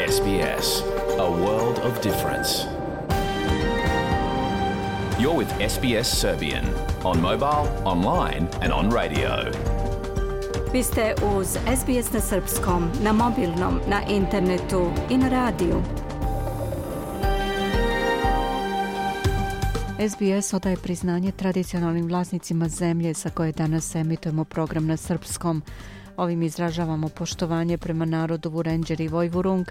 SBS, a world of difference. You're with SBS Serbian on mobile, online and on radio. Vi ste uz SBS na srpskom, na mobilnom, na internetu i na radiju. SBS odaje priznanje tradicionalnim vlasnicima zemlje sa koje danas emitujemo program na srpskom. Ovim izražavamo poštovanje prema narodu Vurenđer i Vojvurung,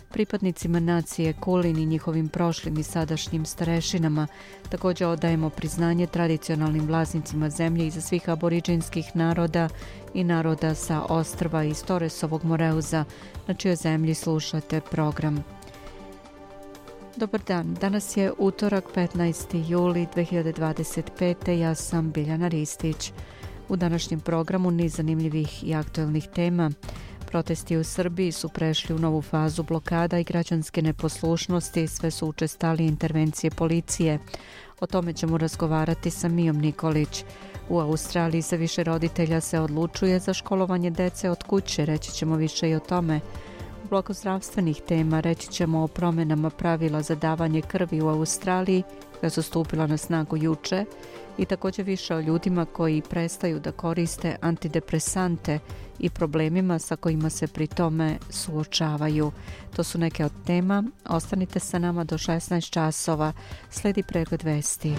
pripadnicima nacije Kulin i njihovim prošlim i sadašnjim starešinama. Također odajemo priznanje tradicionalnim vlasnicima zemlje iza svih aboriđinskih naroda i naroda sa ostrva iz Torresovog Moreuza, na čijoj zemlji slušate program. Dobar dan, danas je utorak 15. juli 2025. Ja sam Biljana Ristić. U današnjem programu niz zanimljivih i aktuelnih tema. Protesti u Srbiji su prešli u novu fazu blokada i građanske neposlušnosti, sve su učestalije intervencije policije. O tome ćemo razgovarati sa Mijom Nikolić. U Australiji se više roditelja se odlučuje za školovanje dece od kuće, reći ćemo više i o tome. U bloku zdravstvenih tema reći ćemo o promjenama pravila za davanje krvi u Australiji koja su stupila na snagu juče i također više o ljudima koji prestaju da koriste antidepresante i problemima sa kojima se pri tome suočavaju. To su neke od tema. Ostanite sa nama do 16 časova. Sledi pregled vesti.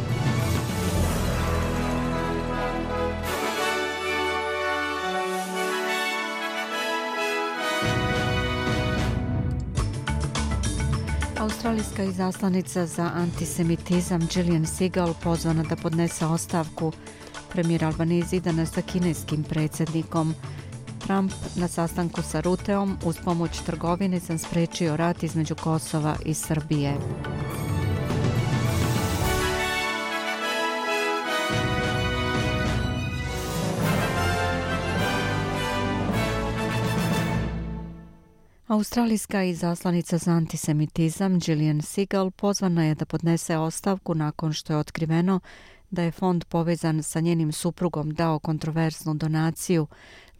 Australijska izaslanica za antisemitizam Gillian Segal pozvana da podnese ostavku. Premijer Albanese danas sa kineskim predsjednikom. Trump na sastanku sa Ruteom uz pomoć trgovine sam spriječio rat između Kosova i Srbije. Australijska izaslanica za antisemitizam Gillian Segal pozvana je da podnese ostavku nakon što je otkriveno da je fond povezan sa njenim suprugom dao kontroverznu donaciju.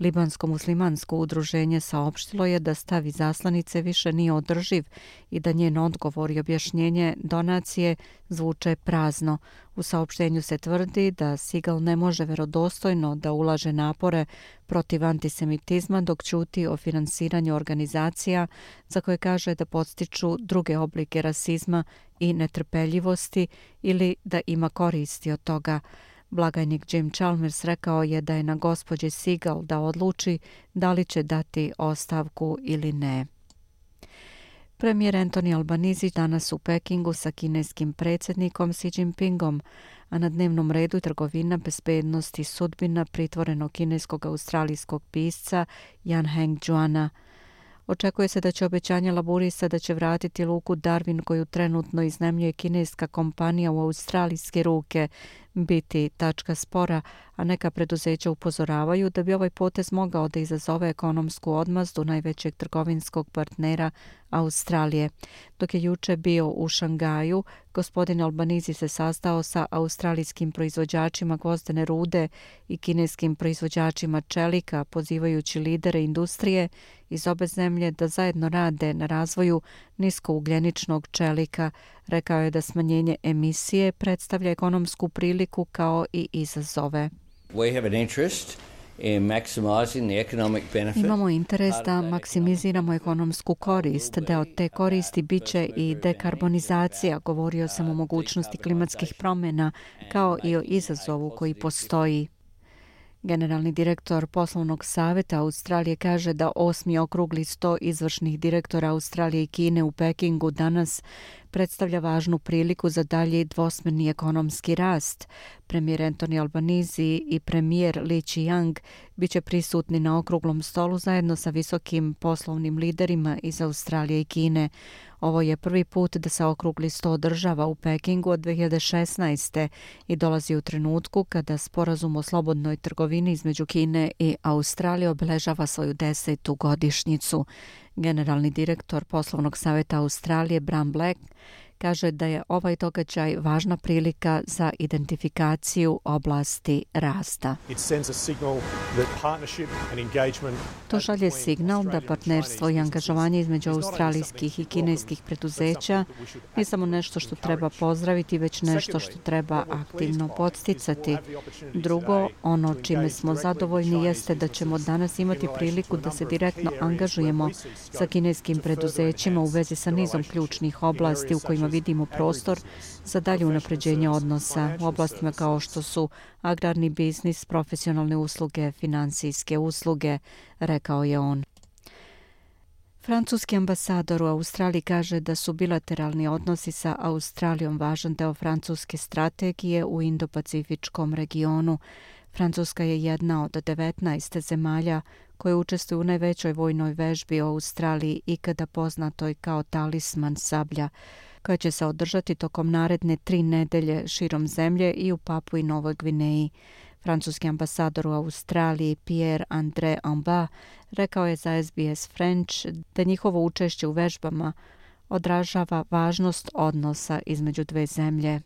Libansko-muslimansko udruženje saopštilo je da stav izaslanice više nije održiv i da njen odgovor i objašnjenje donacije zvuče prazno. U saopštenju se tvrdi da Segal ne može vjerodostojno da ulaže napore protiv antisemitizma dok ćuti o finansiranju organizacija za koje kaže da podstiču druge oblike rasizma i netrpeljivosti ili da ima koristi od toga. Blagajnik Jim Chalmers rekao je da je na gospođi Segal da odluči da li će dati ostavku ili ne. Premijer Anthony Albanese danas u Pekingu sa kineskim predsjednikom Xi Jinpingom, a na dnevnom redu je trgovina, bezbednost i sudbina pritvorenog kineskog australijskog pisca Jan Heng Juana. Očekuje se da će obećanje laburista da će vratiti luku Darwin koju trenutno iznajmljuje kineska kompanija u australijske ruke biti tačka spora, a neka preduzeća upozoravaju da bi ovaj potez mogao da izazove ekonomsku odmazdu najvećeg trgovinskog partnera Australije. Dok je juče bio u Šangaju, gospodin Albanese se sastao sa australijskim proizvođačima gvozdene rude i kineskim proizvođačima čelika, pozivajući lidere industrije iz obe zemlje da zajedno rade na razvoju niskougljeničnog čelika. Rekao je da smanjenje emisije predstavlja ekonomsku priliku kao i izazove. Imamo interes da maksimiziramo ekonomsku korist. Deo te koristi biće i dekarbonizacija. Govorio sam o mogućnosti klimatskih promjena kao i o izazovu koji postoji. Generalni direktor poslovnog savjeta Australije kaže da 8. okrugli sto izvršnih direktora Australije i Kine u Pekingu danas predstavlja važnu priliku za dalji dvosmjerni ekonomski rast. Premijer Anthony Albanese i premijer Li Qiang biće prisutni na okruglom stolu zajedno sa visokim poslovnim liderima iz Australije i Kine. Ovo je prvi put da se okrugli sto održava u Pekingu od 2016. i dolazi u trenutku kada sporazum o slobodnoj trgovini između Kine i Australije obeležava svoju 10. godišnjicu. Generalni direktor poslovnog savjeta Australije Bram Black kaže da je ovaj događaj važna prilika za identifikaciju oblasti rasta. To šalje signal da partnerstvo i angažovanje između australijskih i kineskih preduzeća nije samo nešto što treba pozdraviti, već nešto što treba aktivno podsticati. Drugo, ono čime smo zadovoljni jeste da ćemo danas imati priliku da se direktno angažujemo sa kineskim preduzećima u vezi sa nizom ključnih oblasti u kojima vidimo prostor za dalje unapređenje odnosa u oblastima kao što su agrarni biznis, profesionalne usluge, financijske usluge, rekao je on. Francuski ambasador u Australiji kaže da su bilateralni odnosi sa Australijom važan deo francuske strategije u Indo-Pacifičkom regionu. Francuska je jedna od 19 zemalja koje učestvuju u najvećoj vojnoj vežbi u Australiji ikada poznatoj kao Talisman sablja, koja će se održati tokom naredne 3 nedelje širom zemlje i u Papui Novoj Gvineji. Francuski ambasador u Australiji Pierre-André Amba rekao je za SBS French da njihovo učešće u vežbama odražava važnost odnosa između dve zemlje.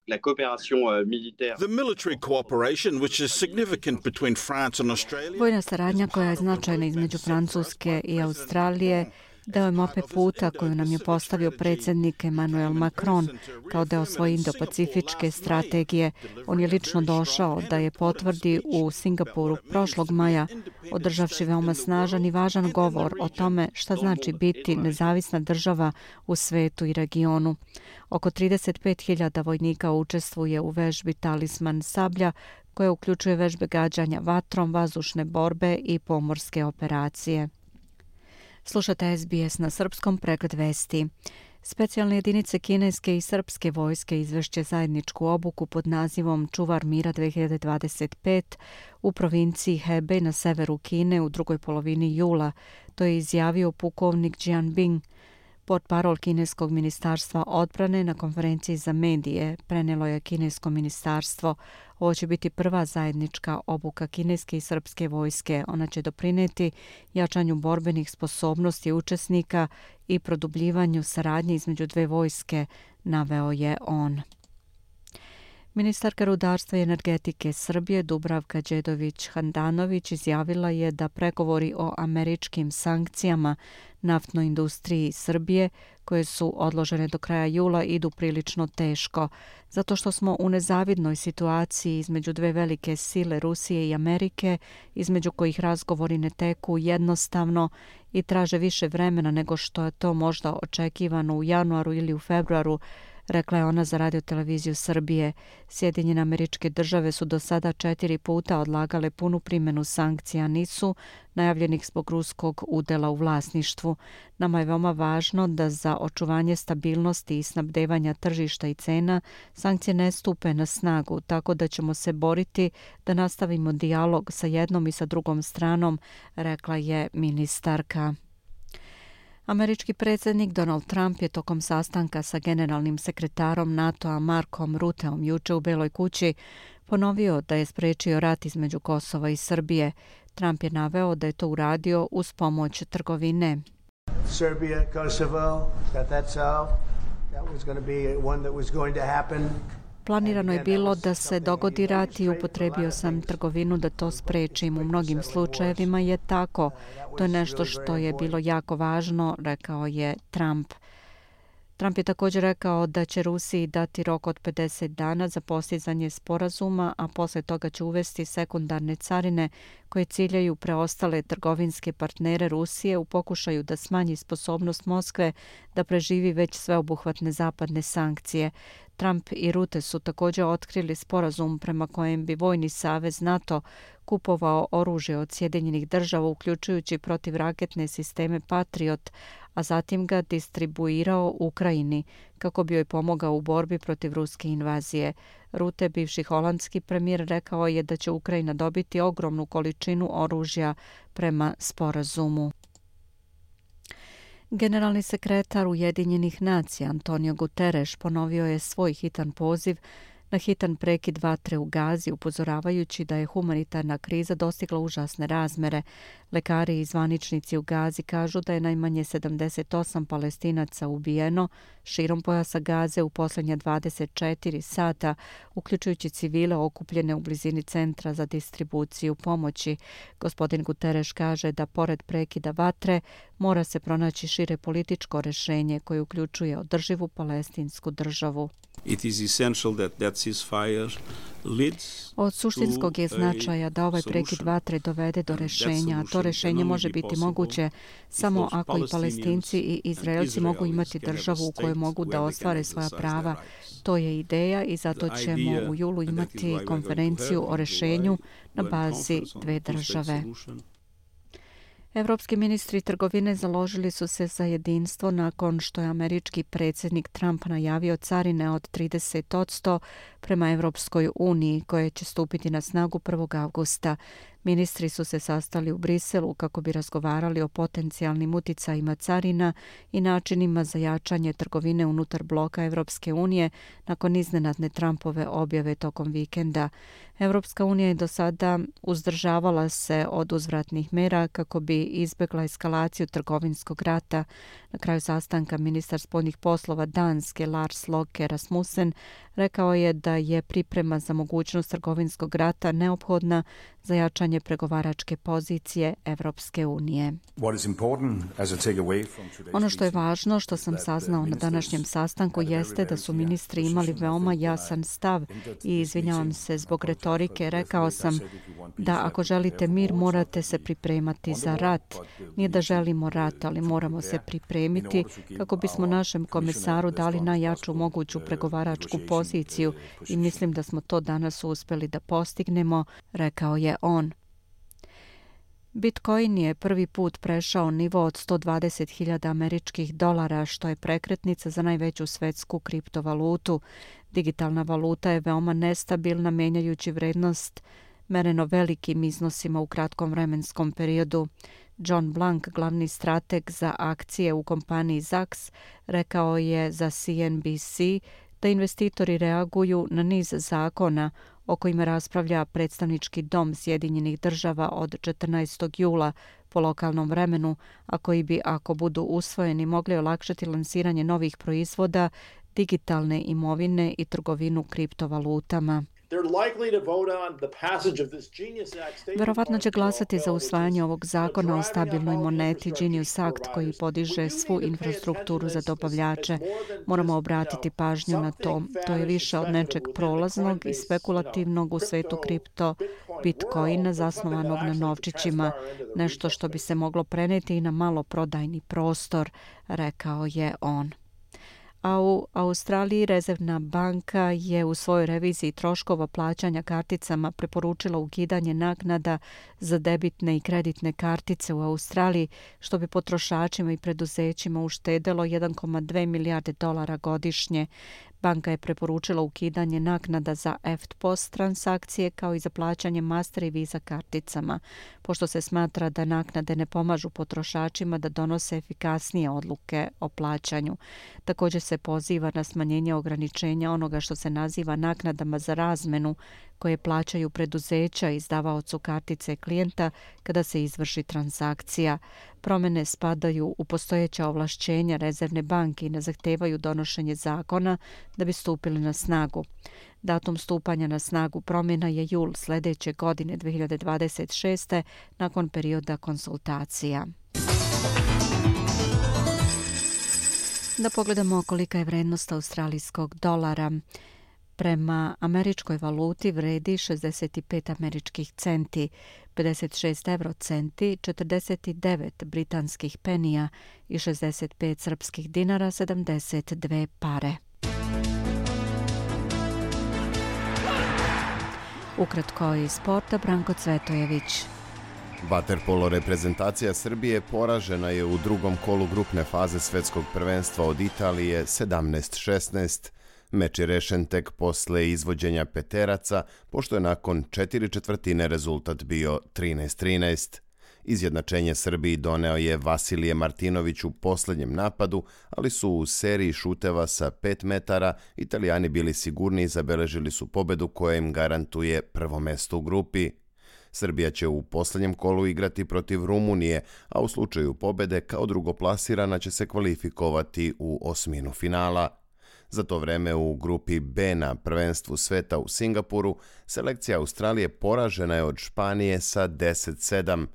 Vojna saradnja koja je značajna između Francuske i Australije deo je mape puta koju nam je postavio predsjednik Emmanuel Macron kao deo svoje indo-pacifičke strategije. On je lično došao da je potvrdi u Singapuru prošlog maja, održavši veoma snažan i važan govor o tome šta znači biti nezavisna država u svetu i regionu. Oko 35.000 vojnika učestvuje u vežbi Talisman sablja, koja uključuje vežbe gađanja vatrom, vazdušne borbe i pomorske operacije. Slušate SBS na srpskom, pregled vesti. Specijalne jedinice kineske i srpske vojske izvešće zajedničku obuku pod nazivom Čuvar mira 2025 u provinciji Hebei na severu Kine u drugoj polovini jula. To je izjavio pukovnik Jian Bing. Portparol kineskog ministarstva odbrane na konferenciji za medije prenijelo je kinesko ministarstvo. Ovo će biti prva zajednička obuka kineske i srpske vojske. Ona će doprinijeti jačanju borbenih sposobnosti učesnika i produbljivanju saradnje između dve vojske, naveo je on. Ministarka rudarstva i energetike Srbije Dubravka Đedović-Handanović izjavila je da pregovori o američkim sankcijama naftnoj industriji Srbije, koje su odložene do kraja jula, idu prilično teško, zato što smo u nezavidnoj situaciji između dve velike sile Rusije i Amerike, između kojih razgovori ne teku jednostavno i traže više vremena nego što je to možda očekivano u januaru ili u februaru, rekla je ona za radioteleviziju Srbije. Sjedinjene Američke Države su do sada 4 puta odlagale punu primjenu sankcija NIS-u, najavljenih zbog ruskog udela u vlasništvu. Nama je veoma važno da za očuvanje stabilnosti i snabdevanja tržišta i cena sankcije ne stupe na snagu, tako da ćemo se boriti da nastavimo dijalog sa jednom i sa drugom stranom, rekla je ministarka. Američki predsjednik Donald Trump je tokom sastanka sa generalnim sekretarom NATO-a Markom Rutteom juče u Beloj kući ponovio da je sprečio rat između Kosova i Srbije. Trump je naveo da je to uradio uz pomoć trgovine. Serbia, Kosovo, got that solved. That was going to be one that was going to happen. Planirano je bilo da se dogodi rat i upotrebio sam trgovinu da to sprečim. U mnogim slučajevima je tako. To je nešto što je bilo jako važno, rekao je Trump. Trump je također rekao da će Rusiji dati rok od 50 dana za postizanje sporazuma, a posle toga će uvesti sekundarne carine koje ciljaju preostale trgovinske partnere Rusije u pokušaju da smanji sposobnost Moskve da preživi već sveobuhvatne zapadne sankcije. Trump i Rutte su također otkrili sporazum prema kojem bi Vojni savez NATO kupovao oružje od Sjedinjenih Država, uključujući protivraketne sisteme Patriot, a zatim ga distribuirao Ukrajini kako bi joj pomogao u borbi protiv ruske invazije. Rutte, bivši holandski premijer, rekao je da će Ukrajina dobiti ogromnu količinu oružja prema sporazumu. Generalni sekretar Ujedinjenih nacija Antonio Guterres ponovio je svoj hitan poziv na hitan prekid vatre u Gazi, upozoravajući da je humanitarna kriza dostigla užasne razmere. Lekari i zvaničnici u Gazi kažu da je najmanje 78 Palestinaca ubijeno širom pojasa Gaze u posljednja 24 sata, uključujući civile okupljene u blizini centra za distribuciju pomoći. Gospodin Guterres kaže da pored prekida vatre mora se pronaći šire političko rješenje koje uključuje održivu palestinsku državu. Od suštinskog je značaja da ovaj prekid vatre dovede do rješenja, a to rješenje može biti moguće samo ako i Palestinci i Izraelci mogu imati državu u kojoj mogu da ostvare svoja prava. To je ideja i zato ćemo u julu imati konferenciju o rješenju na bazi dve države. Evropski ministri trgovine založili su se za jedinstvo nakon što je američki predsjednik Trump najavio carine od 30% prema Evropskoj uniji koje će stupiti na snagu 1. avgusta. Ministri su se sastali u Briselu kako bi razgovarali o potencijalnim uticajima carina i načinima za jačanje trgovine unutar bloka Evropske unije nakon iznenadne Trumpove objave tokom vikenda. Evropska unija je do sada uzdržavala se od uzvratnih mera kako bi izbjegla eskalaciju trgovinskog rata. Na kraju sastanka ministar spoljnih poslova Danske Lars Løkke Rasmussen rekao je da je priprema za mogućnost trgovinskog rata neophodna za jačanje pregovaračke pozicije Evropske unije. Ono što je važno, što sam saznao na današnjem sastanku, jeste da su ministri imali veoma jasan stav i izvinjavam se zbog retorike. Rekao sam da ako želite mir, morate se pripremati za rat. Nije da želimo rat, ali moramo se pripremiti kako bismo našem komisaru dali najjaču moguću pregovaračku poziciju i mislim da smo to danas uspjeli da postignemo, rekao je on. Bitcoin je prvi put prešao nivo od 120.000 američkih dolara, što je prekretnica za najveću svetsku kriptovalutu. Digitalna valuta je veoma nestabilna, menjajući vrednost mereno velikim iznosima u kratkom vremenskom periodu. John Blank, glavni strateg za akcije u kompaniji Zacks, rekao je za CNBC da investitori reaguju na niz zakona o kojima raspravlja predstavnički dom Sjedinjenih država od 14. jula po lokalnom vremenu, a koji bi, ako budu usvojeni, mogli olakšati lansiranje novih proizvoda, digitalne imovine i trgovinu kriptovalutama. Verovatno će glasati za usvajanje ovog zakona o stabilnoj moneti Genius Act koji podiže svu infrastrukturu za dobavljače. Moramo obratiti pažnju na to. To je više od nečeg prolaznog i spekulativnog u svetu kripto Bitcoina zasnovanog na novčićima, nešto što bi se moglo preneti i na maloprodajni prostor, rekao je on. A u Australiji Rezervna banka je u svojoj reviziji troškova plaćanja karticama preporučila ukidanje naknada za debitne i kreditne kartice u Australiji, što bi potrošačima i preduzećima uštedelo 1,2 milijarde dolara godišnje. Banka je preporučila ukidanje naknada za EFT-POS transakcije kao i za plaćanje Master i Visa karticama, pošto se smatra da naknade ne pomažu potrošačima da donose efikasnije odluke o plaćanju. Također se poziva na smanjenje ograničenja onoga što se naziva naknadama za razmenu koje plaćaju preduzeća izdavaocu kartice klijenta kada se izvrši transakcija. Promjene spadaju u postojeća ovlašćenja Rezervne banke i ne zahtevaju donošenje zakona da bi stupili na snagu. Datum stupanja na snagu promjena je jul sljedeće godine 2026. nakon perioda konsultacija. Da pogledamo kolika je vrednost australijskog dolara. Prema američkoj valuti vredi 65 američkih centi, 56 eurocenti, 49 britanskih penija i 65 srpskih dinara, 72 pare. Ukratko iz sporta, Branko Cvetojević. Vaterpolo reprezentacija Srbije poražena je u drugom kolu grupne faze svetskog prvenstva od Italije 17-16. Meč je rešen tek posle izvođenja peteraca, pošto je nakon 4/4 rezultat bio 13-13. Izjednačenje Srbiji doneo je Vasilije Martinović u posljednjem napadu, ali su u seriji šuteva sa 5 metara Italijani bili sigurni i zabeležili su pobedu koja im garantuje prvo mesto u grupi. Srbija će u posljednjem kolu igrati protiv Rumunije, a u slučaju pobede kao drugoplasirana će se kvalifikovati u osminu finala. Za to vreme u grupi B na prvenstvu sveta u Singapuru selekcija Australije poražena je od Španije sa 10-7.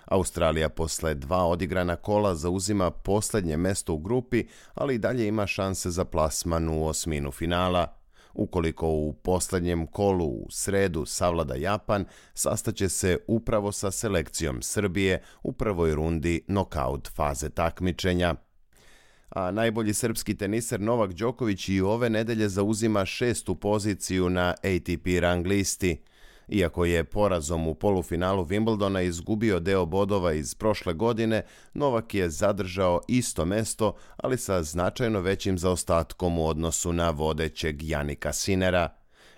Australija posle 2 odigrana kola zauzima posljednje mesto u grupi, ali i dalje ima šanse za plasman u osminu finala. Ukoliko u posljednjem kolu u sredu savlada Japan, sastaće se upravo sa selekcijom Srbije u prvoj rundi nokaut faze takmičenja. A najbolji srpski teniser Novak Đoković i ove nedelje zauzima 6. poziciju na ATP rang listi. Iako je porazom u polufinalu Wimbledona izgubio deo bodova iz prošle godine, Novak je zadržao isto mesto, ali sa značajno većim zaostatkom u odnosu na vodećeg Janika Sinera.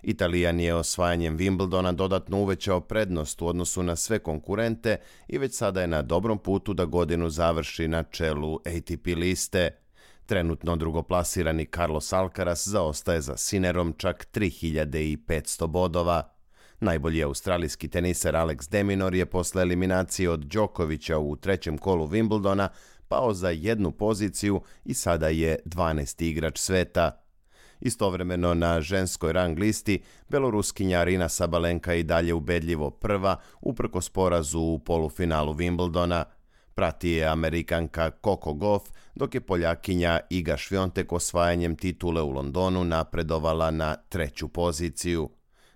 Italijan je osvajanjem Wimbledona dodatno uvećao prednost u odnosu na sve konkurente i već sada je na dobrom putu da godinu završi na čelu ATP liste. Trenutno drugoplasirani Carlos Alcaraz zaostaje za Sinerom čak 3500 bodova. Najbolji australijski teniser Alex de Minaur je posle eliminacije od Đokovića u trećem kolu Wimbledona pao za 1 poziciju i sada je 12. igrač sveta. Istovremeno na ženskoj rang listi beloruskinja Arina Sabalenka i dalje ubedljivo prva uprkos porazu u polufinalu Wimbledona. Prati je Amerikanka Coco Gauff, dok je Poljakinja Iga Swiatek osvajanjem titule u Londonu napredovala na 3. poziciju.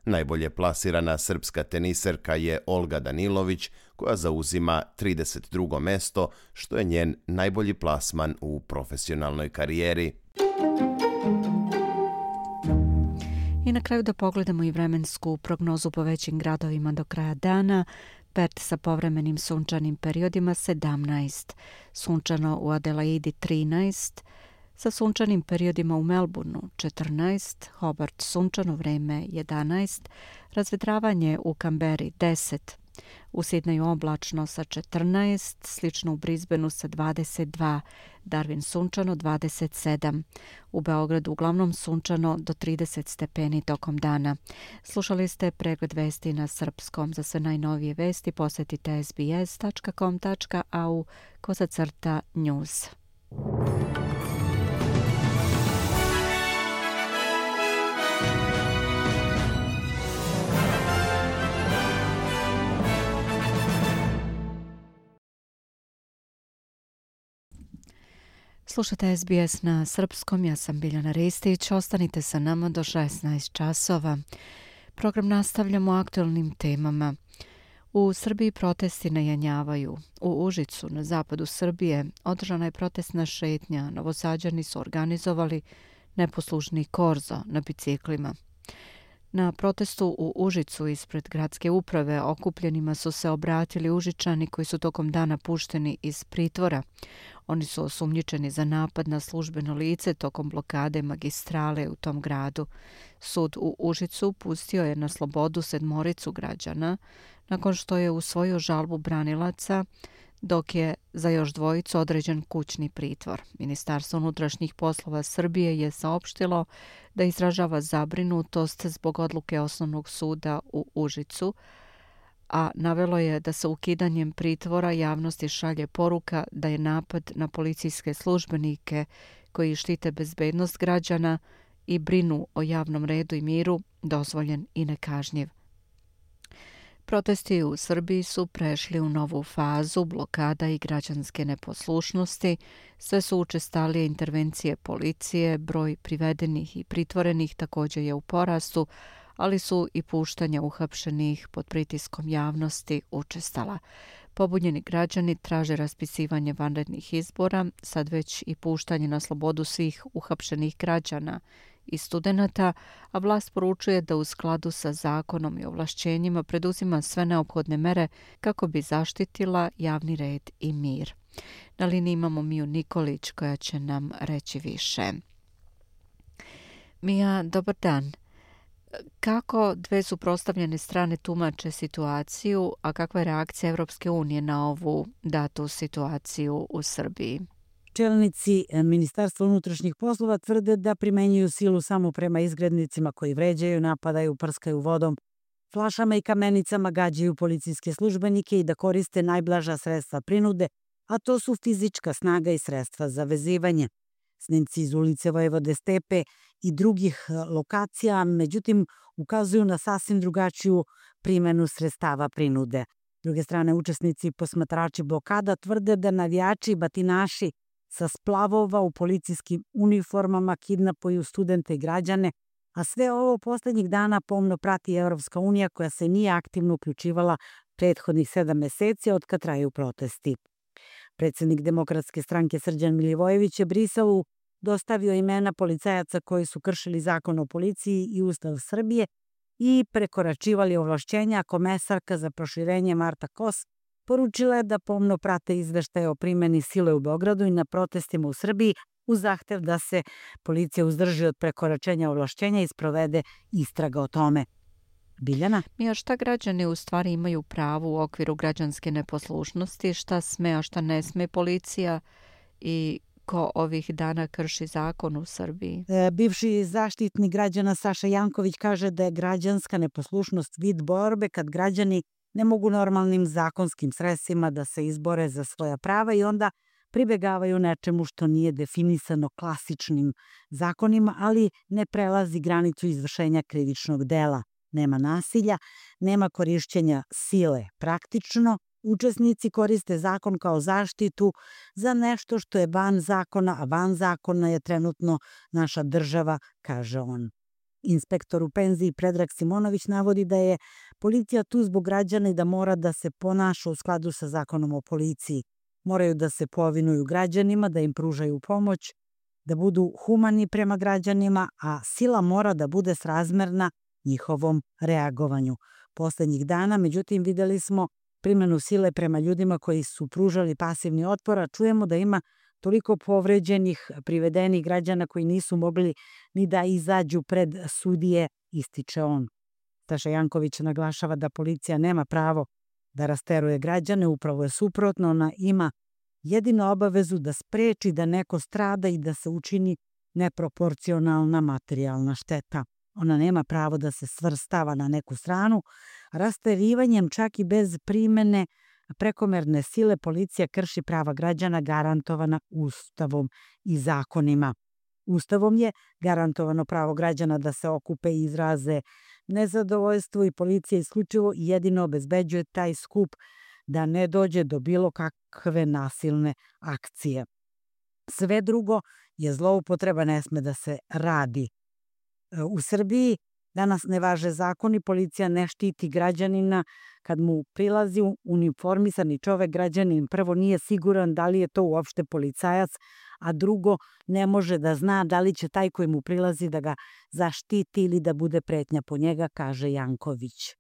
Najbolje plasirana srpska teniserka je Olga Danilović, koja zauzima 32. mesto, što je njen najbolji plasman u profesionalnoj karijeri. I na kraju da pogledamo i vremensku prognozu po većim gradovima do kraja dana. Perth sa povremenim sunčanim periodima 17, sunčano u Adelaidi 13, sa sunčanim periodima u Melbourneu 14, Hobart sunčano vreme 11, razvedravanje u Kamberi 10, u Sidneju oblačno sa 14, slično u Brisbaneu sa 22, Darwin sunčano 27, u Beogradu uglavnom sunčano do 30 stepeni tokom dana. Slušali ste pregled vesti na srpskom. Za sve najnovije vesti posjetite sbs.com.au/news. Slušate SBS na srpskom, ja sam Biljana Ristić, ostanite sa nama do 16 časova. Program nastavljamo aktualnim temama. U Srbiji protesti najanjavaju. U Užicu, na zapadu Srbije, održana je protestna šetnja. Novosađani su organizovali neposlušni korzo na biciklima. Na protestu u Užicu ispred gradske uprave okupljenima su se obratili Užičani koji su tokom dana pušteni iz pritvora. Oni su osumnjičeni za napad na službeno lice tokom blokade magistrale u tom gradu. Sud u Užicu pustio je na slobodu 7 građana nakon što je usvojio žalbu branilaca, dok je za još 2 određen kućni pritvor. Ministarstvo unutrašnjih poslova Srbije je saopštilo da izražava zabrinutost zbog odluke Osnovnog suda u Užicu, a navelo je da se ukidanjem pritvora javnosti šalje poruka da je napad na policijske službenike koji štite bezbednost građana i brinu o javnom redu i miru dozvoljen i nekažnjiv. Protesti u Srbiji su prešli u novu fazu blokada i građanske neposlušnosti. Sve su učestalije intervencije policije, broj privedenih i pritvorenih također je u porastu, ali su i puštanja uhapšenih pod pritiskom javnosti učestala. Pobunjeni građani traže raspisivanje vanrednih izbora, sad već i puštanje na slobodu svih uhapšenih građana i studenata, a vlast poručuje da u skladu sa zakonom i ovlašćenjima preduzima sve neophodne mere kako bi zaštitila javni red i mir. Na liniji imamo Miju Nikolić koja će nam reći više. Mija, dobar dan. Kako dve suprotstavljene strane tumače situaciju, a kakva je reakcija Evropske unije na ovu datu situaciju u Srbiji? Čelnici Ministarstva unutrašnjih poslova tvrde da primenjuju silu samo prema izgrednicima koji vređaju, napadaju, prskaju vodom, flašama i kamenicama gađaju policijske službenike i da koriste najblaža sredstva prinude, a to su fizička snaga i sredstva za vezivanje. Snimci iz ulice Vojvode Stepe i drugih lokacija, međutim, ukazuju na sasvim drugačiju primenu sredstava prinude. S druge strane, učesnici i posmatrači blokada tvrde da navijači i batinaši sa splavova u policijskim uniformama kidnapuju studente i građane, a sve ovo poslednjih dana pomno prati Evropska unija koja se nije aktivno uključivala prethodnih 7 meseci od kad traju protesti. Predsednik Demokratske stranke Srđan Milivojević je Briselu dostavio imena policajaca koji su kršili zakon o policiji i Ustav Srbije i prekoračivali ovlašćenja, a komesarka za proširenje Marta Kos poručila je da pomno prate izveštaje o primeni sile u Beogradu i na protestima u Srbiji uz zahtev da se policija uzdrži od prekoračenja ovlašćenja i sprovede istraga o tome. Biljana? Mija, šta građani u stvari imaju pravo u okviru građanske neposlušnosti, šta sme, a šta ne sme policija i ko ovih dana krši zakon u Srbiji? Bivši zaštitnik građana Saša Janković kaže da je građanska neposlušnost vid borbe kad građani ne mogu normalnim zakonskim sredstvima da se izbore za svoja prava i onda pribegavaju nečemu što nije definisano klasičnim zakonima, ali ne prelazi granicu izvršenja krivičnog dela. Nema nasilja, nema korišćenja sile praktično. Učesnici koriste zakon kao zaštitu za nešto što je van zakona, a van zakona je trenutno naša država, kaže on. Inspektor u penziji Predrag Simonović navodi da je policija tu zbog građana i da mora da se ponaša u skladu sa zakonom o policiji. Moraju da se povinuju građanima, da im pružaju pomoć, da budu humani prema građanima, a sila mora da bude srazmerna njihovom reagovanju. Poslednjih dana, međutim, videli smo primenu sile prema ljudima koji su pružali pasivni otpor, a čujemo da ima toliko povređenih, privedenih građana koji nisu mogli ni da izađu pred sudije, ističe on. Saša Janković naglašava da policija nema pravo da rasteruje građane, upravo je suprotno, ona ima jedino obavezu da spreči da neko strada i da se učini neproporcionalna materijalna šteta. Ona nema pravo da se svrstava na neku stranu. Rasterivanjem čak i bez primene prekomerne sile policija krši prava građana garantovana Ustavom i zakonima. Ustavom je garantovano pravo građana da se okupe i izraze nezadovoljstvo i policija isključivo i jedino obezbeđuje taj skup da ne dođe do bilo kakve nasilne akcije. Sve drugo je zloupotreba, ne sme da se radi. U Srbiji danas ne važe zakoni, policija ne štiti građanina kad mu prilazi uniformisani čovek, građanin prvo nije siguran da li je to uopšte policajac, a drugo ne može da zna da li će taj koji mu prilazi da ga zaštiti ili da bude pretnja po njega, kaže Janković.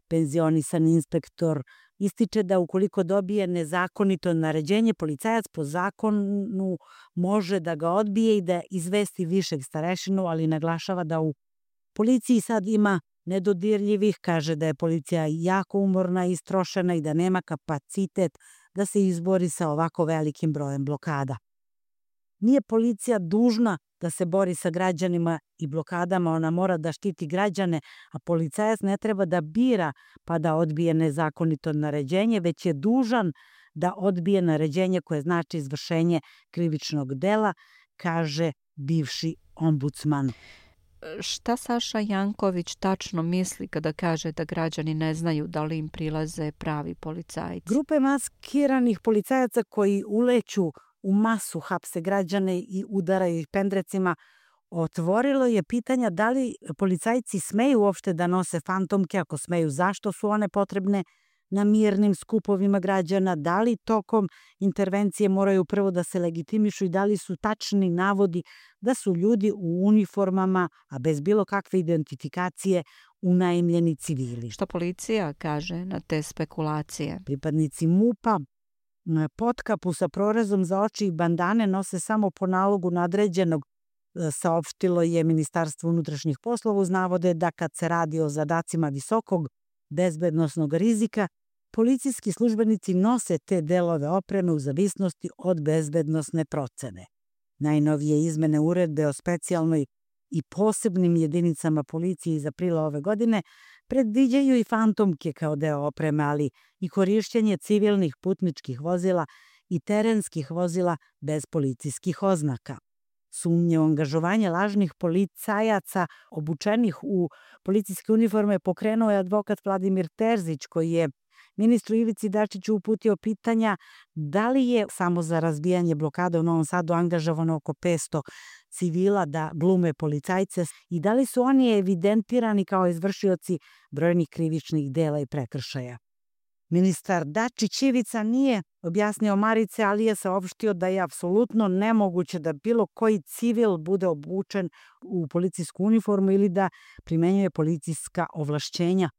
Penzionisan inspektor ističe da ukoliko dobije nezakonito naređenje, policajac po zakonu može da ga odbije i da izvesti višeg starešinu, ali naglašava da u policiji sad ima nedodirljivih, kaže da je policija jako umorna i istrošena i da nema kapacitet da se izbori sa ovako velikim brojem blokada. Nije policija dužna da se bori sa građanima i blokadama, ona mora da štiti građane, a policajac ne treba da bira pa da odbije nezakonito naređenje, već je dužan da odbije naređenje koje znači izvršenje krivičnog dela, kaže bivši ombudsman. Šta Saša Janković tačno misli kada kaže da građani ne znaju da li im prilaze pravi policajci? Grupe maskiranih policajaca koji uleću u masu, hapse građane i udaraju ih pendrecima, otvorilo je pitanja da li policajci smeju uopšte da nose fantomke, ako smeju, zašto su one potrebne na mirnim skupovima građana, da li tokom intervencije moraju prvo da se legitimišu i da li su tačni navodi da su ljudi u uniformama, a bez bilo kakve identifikacije, unajmljeni civili. Šta policija kaže na te spekulacije? Pripadnici MUP-a potkapu sa prorezom za oči i bandane nose samo po nalogu nadređenog saopštilo je Ministarstvo unutrašnjih poslova uz navode da kad se radi o zadacima visokog bezbednosnog rizika, policijski službenici nose te delove opreme u zavisnosti od bezbednosne procene. Najnovije izmene uredbe o specijalnoj i posebnim jedinicama policije iz aprila ove godine predviđaju i fantomke kao deo opreme, ali i korišćenje civilnih putničkih vozila i terenskih vozila bez policijskih oznaka. Sumnje u angažovanje lažnih policajaca obučenih u policijske uniforme pokrenuo je advokat Vladimir Terzić, koji je ministru Ivici Dačiću uputio pitanja da li je samo za razbijanje blokade u Novom Sadu angažovano oko 500 civila da glume policajce i da li su oni evidentirani kao izvršioci brojnih krivičnih dela i prekršaja. Ministar Dačić Ivica nije objasnio Marice, ali je saopštio da je apsolutno nemoguće da bilo koji civil bude obučen u policijsku uniformu ili da primenjuje policijska ovlašćenja.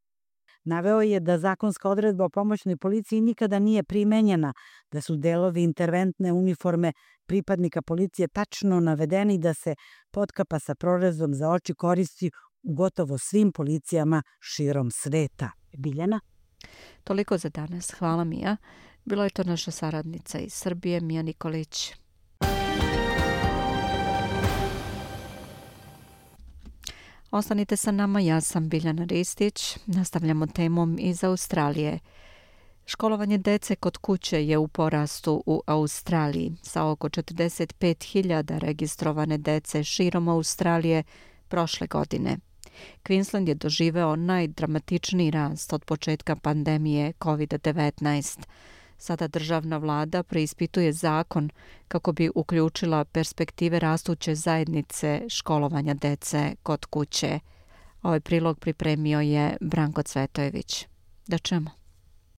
Naveo je da zakonska odredba o pomoćnoj policiji nikada nije primenjena, da su delovi interventne uniforme pripadnika policije tačno navedeni da se potkapa sa prorezom za oči koristi u gotovo svim policijama širom sveta. Biljana? Toliko za danas. Hvala, Mija. Bilo je to naša saradnica iz Srbije, Mija Nikolić. Ostanite sa nama, ja sam Biljana Ristić. Nastavljamo temom iz Australije. Školovanje dece kod kuće je u porastu u Australiji. Sa oko 45.000 registrovane dece širom Australije prošle godine. Queensland je doživeo najdramatičniji rast od početka pandemije COVID-19. Sada državna vlada preispituje zakon kako bi uključila perspektive rastuće zajednice školovanja dece kod kuće. Ovaj prilog pripremio je Branko Cvetojević. Da čujemo.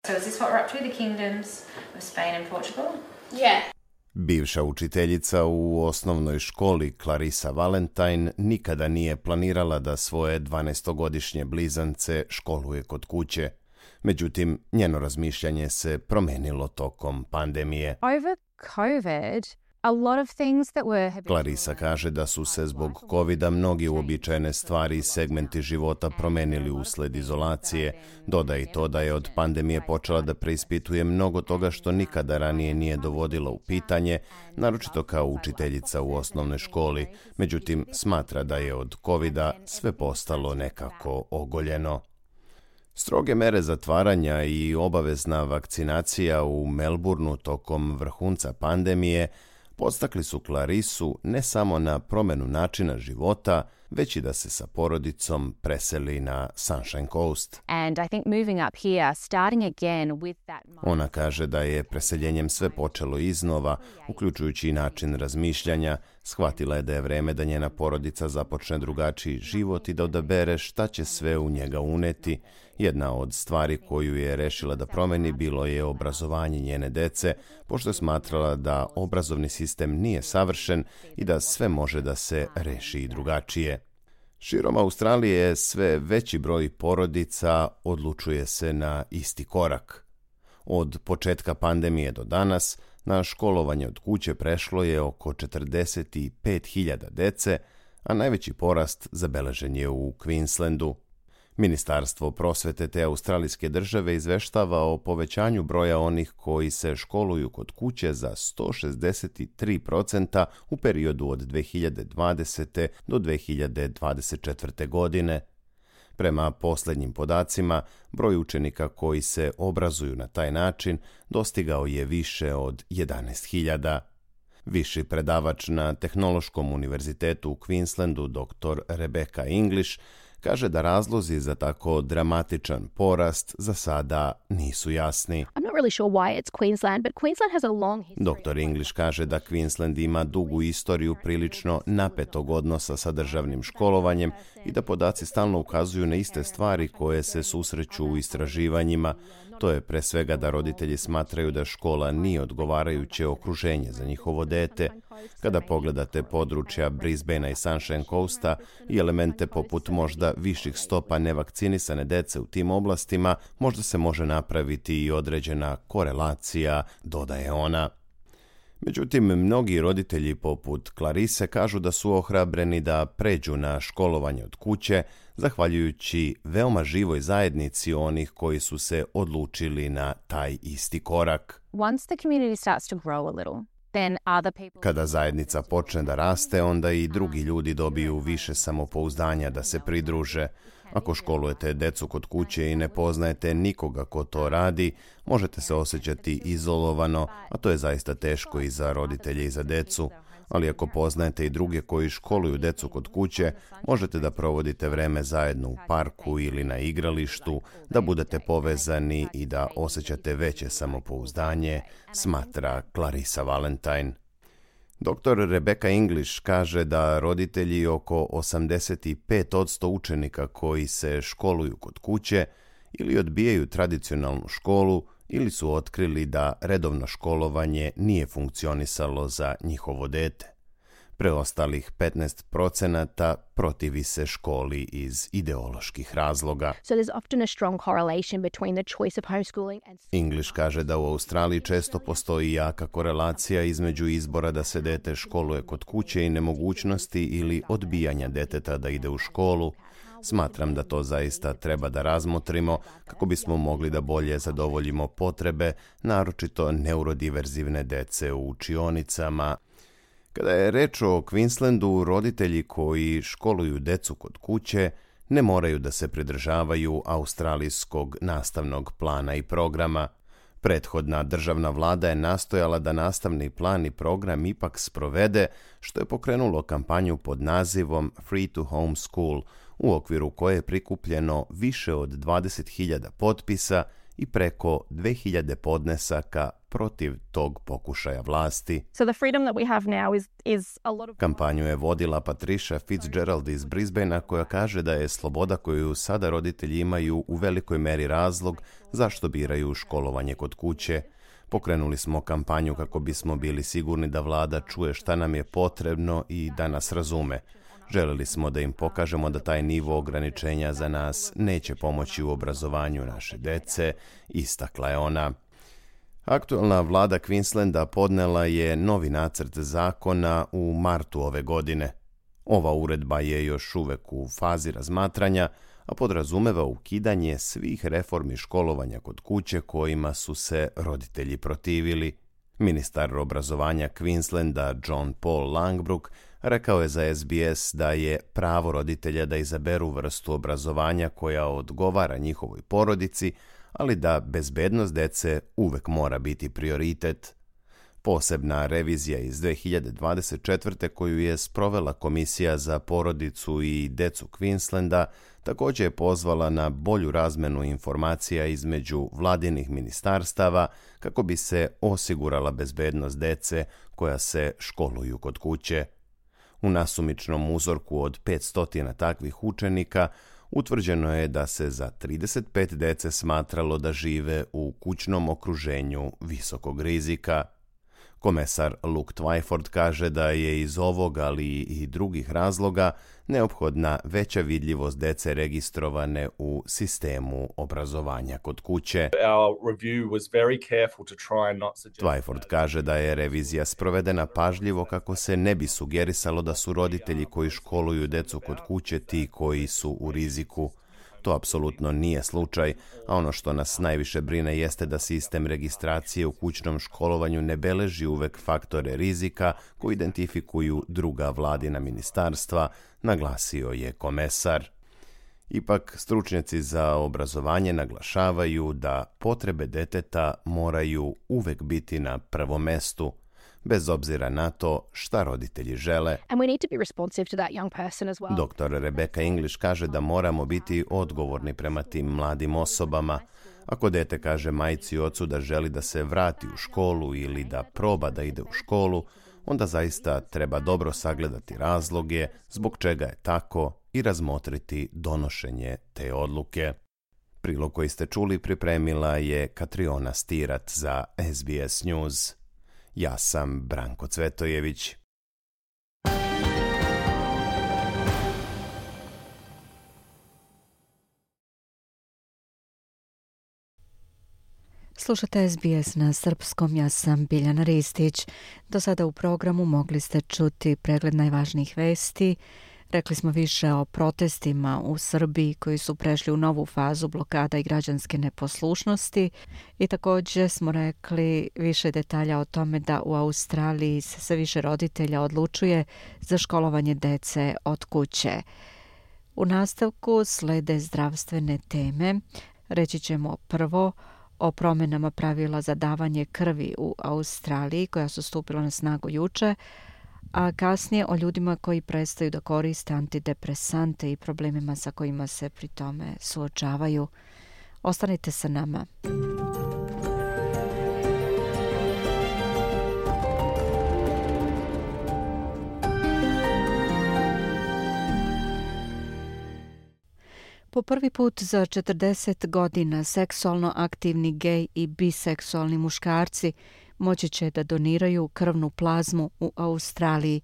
So is this what we're up to, the kingdoms of Spain and Portugal? Yeah. Bivša učiteljica u osnovnoj školi Clarissa Valentine nikada nije planirala da svoje 12-godišnje blizance školuje kod kuće. Međutim, njeno razmišljanje se promenilo tokom pandemije. Over COVID, a lot of things that were... Clarissa kaže da su se zbog covida mnogi uobičajene stvari i segmenti života promenili usled izolacije. Dodaje i to da je od pandemije počela da preispituje mnogo toga što nikada ranije nije dovodila u pitanje, naročito kao učiteljica u osnovnoj školi. Međutim, smatra da je od covida sve postalo nekako ogoljeno. Stroge mere zatvaranja i obavezna vakcinacija u Melbourneu tokom vrhunca pandemije podstakli su Clarissu ne samo na promenu načina života, već i da se sa porodicom preseli na Sunshine Coast. Ona kaže da je preseljenjem sve počelo iznova, uključujući i način razmišljanja. Shvatila je da je vreme da njena porodica započne drugačiji život i da odabere šta će sve u njega uneti. Jedna od stvari koju je rešila da promeni bilo je obrazovanje njene dece, pošto je smatrala da obrazovni sistem nije savršen i da sve može da se reši i drugačije. Širom Australije sve veći broj porodica odlučuje se na isti korak. Od početka pandemije do danas na školovanje od kuće prešlo je oko 45.000 dece, a najveći porast zabeležen je u Queenslandu. Ministarstvo prosvete te australijske države izveštava o povećanju broja onih koji se školuju kod kuće za 163% u periodu od 2020. do 2024. godine. Prema posljednjim podacima, broj učenika koji se obrazuju na taj način dostigao je više od 11.000. Viši predavač na Tehnološkom univerzitetu u Queenslandu, dr. Rebecca English, kaže da razlozi za tako dramatičan porast za sada nisu jasni. Dr. English kaže da Queensland ima dugu istoriju prilično napetog odnosa sa državnim školovanjem i da podaci stalno ukazuju na iste stvari koje se susreću u istraživanjima. To je pre svega da roditelji smatraju da škola nije odgovarajuće okruženje za njihovo dete. Kada pogledate područja Brisbanea i Sunshine Coasta i elemente poput možda viših stopa nevakcinisane dece u tim oblastima, možda se može napraviti i određena korelacija, dodaje ona. Međutim, mnogi roditelji poput Clarise kažu da su ohrabreni da pređu na školovanje od kuće, zahvaljujući veoma živoj zajednici onih koji su se odlučili na taj isti korak. Once the community starts to grow a little, then other people... Kada zajednica počne da raste, onda i drugi ljudi dobiju više samopouzdanja da se pridruže. Ako školujete decu kod kuće i ne poznajete nikoga ko to radi, možete se osjećati izolovano, a to je zaista teško i za roditelje i za decu. Ali ako poznajete i druge koji školuju decu kod kuće, možete da provodite vreme zajedno u parku ili na igralištu, da budete povezani i da osjećate veće samopouzdanje, smatra Clarissa Valentine. Dr. Rebecca English kaže da roditelji oko 85% učenika koji se školuju kod kuće ili odbijaju tradicionalnu školu ili su otkrili da redovno školovanje nije funkcionisalo za njihovo dete. Preostalih 15% protivi se školi iz ideoloških razloga. So there's often a strong correlation between the choice of homeschooling and... English kaže da u Australiji često postoji jaka korelacija između izbora da se dete školuje kod kuće i nemogućnosti ili odbijanja deteta da ide u školu. Smatram da to zaista treba da razmotrimo kako bismo mogli da bolje zadovoljimo potrebe, naročito neurodiverzivne dece u učionicama. Kada je reč o Queenslandu, roditelji koji školuju decu kod kuće ne moraju da se pridržavaju australijskog nastavnog plana i programa. Prethodna državna vlada je nastojala da nastavni plan i program ipak sprovede, što je pokrenulo kampanju pod nazivom Free to Homeschool, u okviru koje je prikupljeno više od 20.000 potpisa i preko 2.000 podnesaka protiv tog pokušaja vlasti. So the freedom that we have now is a lot of... Kampanju je vodila Patricia Fitzgerald iz Brisbanea, koja kaže da je sloboda koju sada roditelji imaju u velikoj meri razlog zašto biraju školovanje kod kuće. Pokrenuli smo kampanju kako bismo bili sigurni da vlada čuje šta nam je potrebno i da nas razume. Želeli smo da im pokažemo da taj nivo ograničenja za nas neće pomoći u obrazovanju naše dece, istakla je ona. Aktualna vlada Queenslanda podnela je novi nacrt zakona u martu ove godine. Ova uredba je još uvek u fazi razmatranja, a podrazumeva ukidanje svih reformi školovanja kod kuće kojima su se roditelji protivili. Ministar obrazovanja Queenslanda John Paul Langbrook rekao je za SBS da je pravo roditelja da izaberu vrstu obrazovanja koja odgovara njihovoj porodici, ali da bezbednost dece uvek mora biti prioritet. Posebna revizija iz 2024. koju je sprovela Komisija za porodicu i decu Queenslanda također je pozvala na bolju razmenu informacija između vladinih ministarstava kako bi se osigurala bezbednost dece koja se školuju kod kuće. U nasumičnom uzorku od 500 takvih učenika utvrđeno je da se za 35 dece smatralo da žive u kućnom okruženju visokog rizika. Komesar Luke Twyford kaže da je iz ovog, ali i drugih razloga, neophodna veća vidljivost dece registrovane u sistemu obrazovanja kod kuće. Twyford kaže da je revizija sprovedena pažljivo kako se ne bi sugerisalo da su roditelji koji školuju decu kod kuće ti koji su u riziku. To apsolutno nije slučaj, a ono što nas najviše brine jeste da sistem registracije u kućnom školovanju ne beleži uvek faktore rizika koji identifikuju druga vladina ministarstva, naglasio je komesar. Ipak, stručnjaci za obrazovanje naglašavaju da potrebe deteta moraju uvek biti na prvom mestu, bez obzira na to šta roditelji žele. Dr. Rebecca English kaže da moramo biti odgovorni prema tim mladim osobama. Ako dete kaže majci i ocu da želi da se vrati u školu ili da proba da ide u školu, onda zaista treba dobro sagledati razloge zbog čega je tako i razmotriti donošenje te odluke. Prilog koji ste čuli pripremila je Katriona Stirat za SBS News. Ja sam Branko Cvetojević. Slušate SBS na srpskom, ja sam Biljana Ristić. Do sada u programu mogli ste čuti pregled najvažnijih vesti. Rekli smo više o protestima u Srbiji koji su prešli u novu fazu blokada i građanske neposlušnosti i također smo rekli više detalja o tome da u Australiji se sve više roditelja odlučuje za školovanje dece od kuće. U nastavku slede zdravstvene teme. Reći ćemo prvo o promjenama pravila za davanje krvi u Australiji koja su stupila na snagu juče, a kasnije o ljudima koji prestaju da koriste antidepresante i problemima sa kojima se pri tome suočavaju. Ostanite sa nama. Po prvi put za 40 godina seksualno aktivni gej i biseksualni muškarci moći će da doniraju krvnu plazmu u Australiji.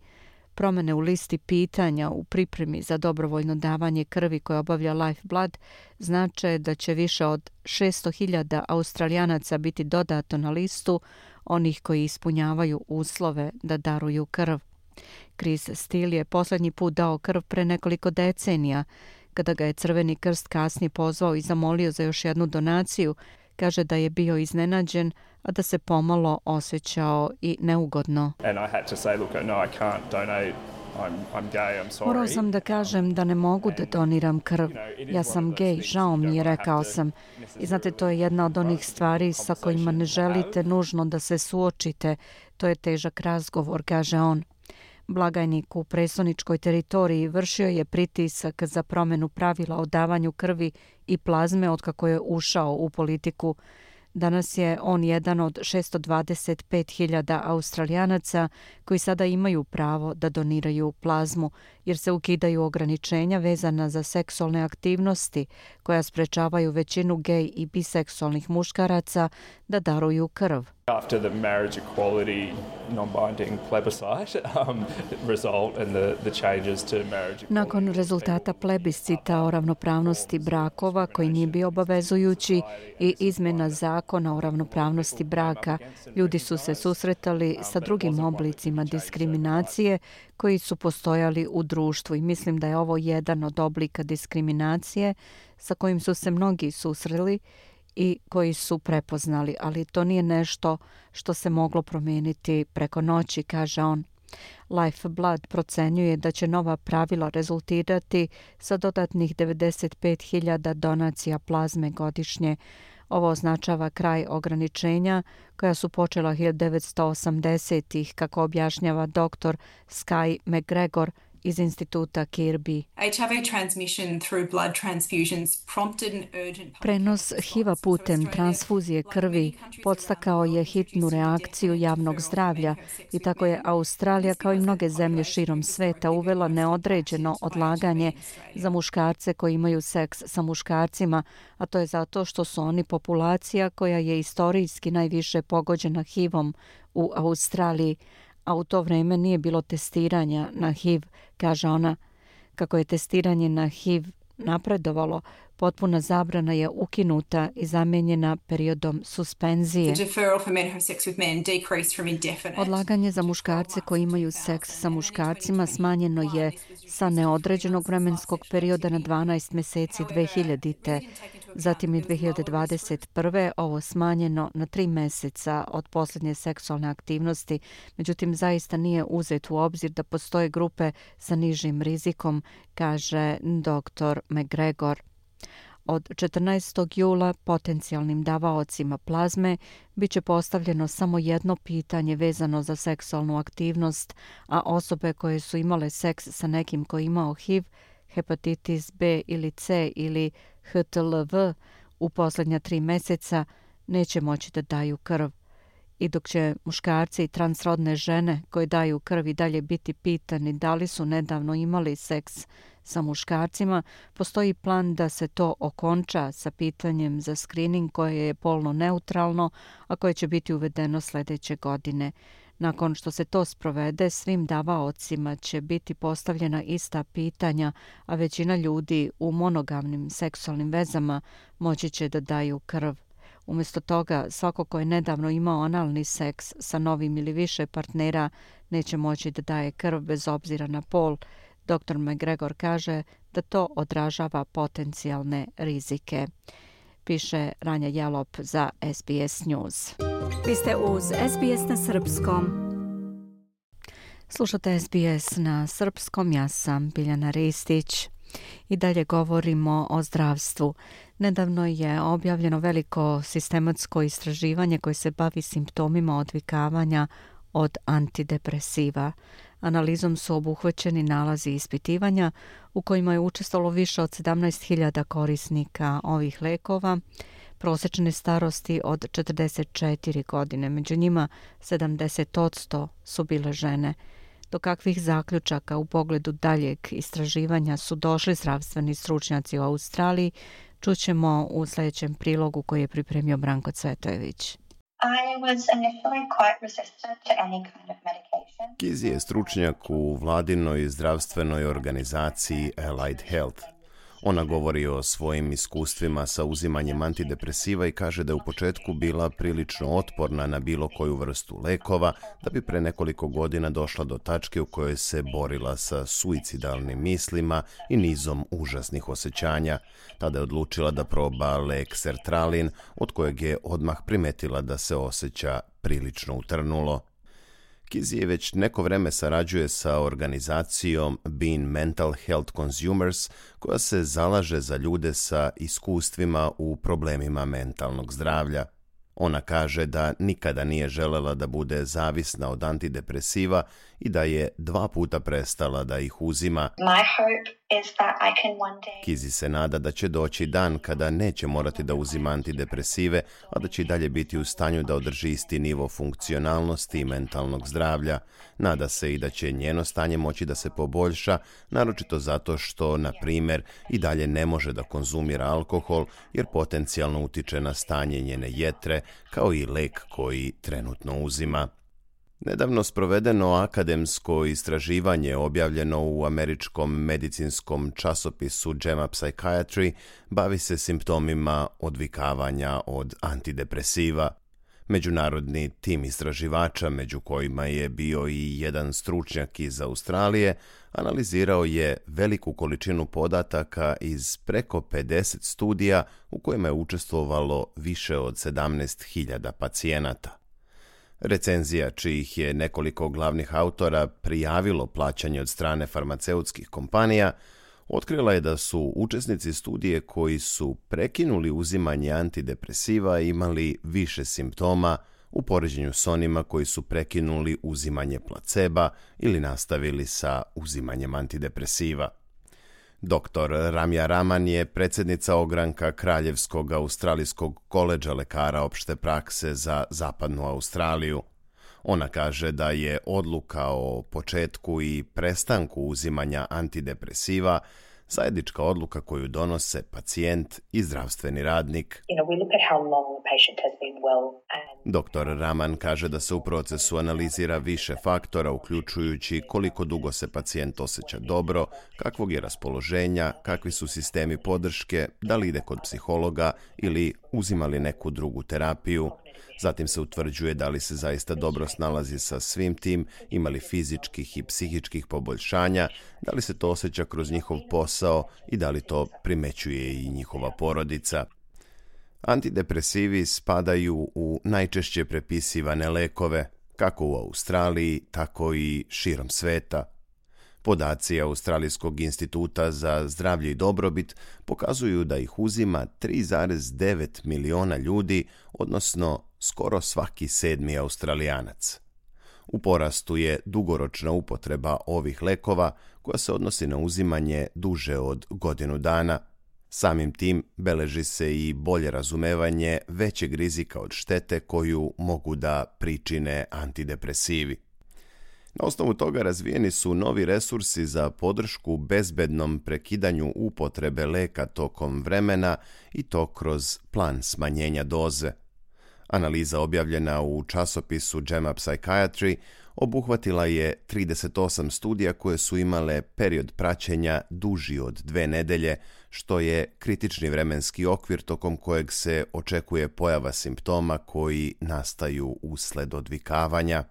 Promjene u listi pitanja u pripremi za dobrovoljno davanje krvi koje obavlja Lifeblood znače da će više od 600.000 Australijanaca biti dodato na listu onih koji ispunjavaju uslove da daruju krv. Chris Steele je posljednji put dao krv pre nekoliko decenija, kada ga je Crveni krst kasnije pozvao i zamolio za još jednu donaciju. Kaže da je bio iznenađen, a da se pomalo osjećao i neugodno. Morao sam da kažem da ne mogu da doniram krv. Ja sam gej, žao mi je, rekao sam. I znate, to je jedna od onih stvari sa kojima ne želite nužno da se suočite. To je težak razgovor, kaže on. Blagajnik u predstavničkoj teritoriji vršio je pritisak za promjenu pravila o davanju krvi i plazme otkako je ušao u politiku. Danas je on jedan od 625.000 Australijanaca koji sada imaju pravo da doniraju plazmu, jer se ukidaju ograničenja vezana za seksualne aktivnosti koja sprečavaju većinu gej i biseksualnih muškaraca da daruju krv. After the marriage equality non-binding plebiscite result and the changes to marriage equality. Nakon rezultata plebiscita o ravnopravnosti brakova koji nije bio obavezujući i izmjena zakona o ravnopravnosti braka, ljudi su se susretali sa drugim oblicima diskriminacije koji su postojali u društvu i mislim da je ovo jedan od oblika diskriminacije sa kojim su se mnogi susreli i koji su prepoznali, ali to nije nešto što se moglo promijeniti preko noći, kaže on. Lifeblood procenjuje da će nova pravila rezultirati sa dodatnih 95.000 donacija plazme godišnje. Ovo označava kraj ograničenja koja su počela 1980-ih, kako objašnjava dr. Sky McGregor iz instituta Kirby. Prenos HIV-a putem transfuzije krvi podstakao je hitnu reakciju javnog zdravlja i tako je Australija, kao i mnoge zemlje širom sveta, uvela neodređeno odlaganje za muškarce koji imaju seks sa muškarcima, a to je zato što su oni populacija koja je istorijski najviše pogođena HIV-om u Australiji, a u to vrijeme nije bilo testiranja na HIV, kaže ona. Kako je testiranje na HIV napredovalo, potpuna zabrana je ukinuta i zamijenjena periodom suspenzije. Odlaganje za muškarce koji imaju seks sa muškarcima smanjeno je sa neodređenog vremenskog perioda na 12 mjeseci 2000. Zatim je 2021. ovo smanjeno na 3 mjeseca od posljednje seksualne aktivnosti, međutim zaista nije uzet u obzir da postoje grupe sa nižim rizikom, kaže dr. McGregor. Od 14. jula potencijalnim davaocima plazme bit će postavljeno samo jedno pitanje vezano za seksualnu aktivnost, a osobe koje su imale seks sa nekim koji imao HIV, hepatitis B ili C ili HTLV u posljednja 3 mjeseca neće moći da daju krv. I dok će muškarci i transrodne žene koje daju krv i dalje biti pitani da li su nedavno imali seks sa muškarcima, postoji plan da se to okonča sa pitanjem za skrining koje je polno neutralno, a koje će biti uvedeno sljedeće godine. Nakon što se to sprovede, svim davaocima će biti postavljena ista pitanja, a većina ljudi u monogamnim seksualnim vezama moći će da daju krv. Umjesto toga, svako ko je nedavno imao analni seks sa novim ili više partnera neće moći da daje krv bez obzira na pol. Dr. McGregor kaže da to odražava potencijalne rizike. Piše Ranja Jelop za SBS News. Vi ste uz SBS na srpskom. Slušate SBS na srpskom, ja sam Biljana Ristić. I dalje govorimo o zdravstvu. Nedavno je objavljeno veliko sistematsko istraživanje koje se bavi simptomima odvikavanja od antidepresiva. Analizom su obuhvaćeni nalazi ispitivanja u kojima je učestvovalo više od 17.000 korisnika ovih lekova, prosječne starosti od 44 godine. Među njima 70% su bile žene. Do kakvih zaključaka u pogledu daljeg istraživanja su došli zdravstveni stručnjaci u Australiji, čućemo u sljedećem prilogu koji je pripremio Branko Cvetojević. Kizi je stručnjak u vladinoj zdravstvenoj organizaciji Allied Health. Ona govori o svojim iskustvima sa uzimanjem antidepresiva i kaže da je u početku bila prilično otporna na bilo koju vrstu lekova, da bi pre nekoliko godina došla do tačke u kojoj se borila sa suicidalnim mislima i nizom užasnih osjećanja. Tada je odlučila da proba lek sertralin, od kojeg je odmah primetila da se osjeća prilično utrnulo. Kizi već neko vreme sarađuje sa organizacijom Being Mental Health Consumers, koja se zalaže za ljude sa iskustvima u problemima mentalnog zdravlja. Ona kaže da nikada nije želela da bude zavisna od antidepresiva i da je 2 puta prestala da ih uzima. Kizi se nada da će doći dan kada neće morati da uzima antidepresive, a da će i dalje biti u stanju da održi isti nivo funkcionalnosti i mentalnog zdravlja. Nada se i da će njeno stanje moći da se poboljša, naročito zato što, na primjer, i dalje ne može da konzumira alkohol jer potencijalno utiče na stanje njene jetre, kao i lek koji trenutno uzima. Nedavno sprovedeno akademsko istraživanje objavljeno u američkom medicinskom časopisu JAMA Psychiatry bavi se simptomima odvikavanja od antidepresiva. Međunarodni tim istraživača, među kojima je bio i jedan stručnjak iz Australije, analizirao je veliku količinu podataka iz preko 50 studija u kojima je učestvovalo više od 17.000 pacijenata. Recenzija, čijih je nekoliko glavnih autora prijavilo plaćanje od strane farmaceutskih kompanija, otkrila je da su učesnici studije koji su prekinuli uzimanje antidepresiva imali više simptoma u poređenju s onima koji su prekinuli uzimanje placeba ili nastavili sa uzimanjem antidepresiva. Dr. Ramja Raman je predsjednica ogranka Kraljevskog australijskog koledža lekara opšte prakse za zapadnu Australiju. Ona kaže da je odluka o početku i prestanku uzimanja antidepresiva zajednička odluka koju donose pacijent i zdravstveni radnik. Dr. Raman kaže da se u procesu analizira više faktora, uključujući koliko dugo se pacijent osjeća dobro, kakvog je raspoloženja, kakvi su sistemi podrške, da li ide kod psihologa ili uzima li neku drugu terapiju. Zatim se utvrđuje da li se zaista dobro snalazi sa svim tim, ima li fizičkih i psihičkih poboljšanja, da li se to osjeća kroz njihov posao i da li to primećuje i njihova porodica. Antidepresivi spadaju u najčešće prepisivane lekove, kako u Australiji, tako i širom sveta. Podaci Australijskog instituta za zdravlje i dobrobit pokazuju da ih uzima 3,9 miliona ljudi, odnosno skoro svaki 7. Australijanac. U porastu je dugoročna upotreba ovih lekova koja se odnosi na uzimanje duže od godinu dana. Samim tim beleži se i bolje razumevanje većeg rizika od štete koju mogu da pričine antidepresivi. Na osnovu toga razvijeni su novi resursi za podršku bezbednom prekidanju upotrebe leka tokom vremena i to kroz plan smanjenja doze. Analiza objavljena u časopisu JAMA Psychiatry Obuhvatila je 38 studija koje su imale period praćenja duži od 2 nedelje, što je kritični vremenski okvir tokom kojeg se očekuje pojava simptoma koji nastaju usled odvikavanja.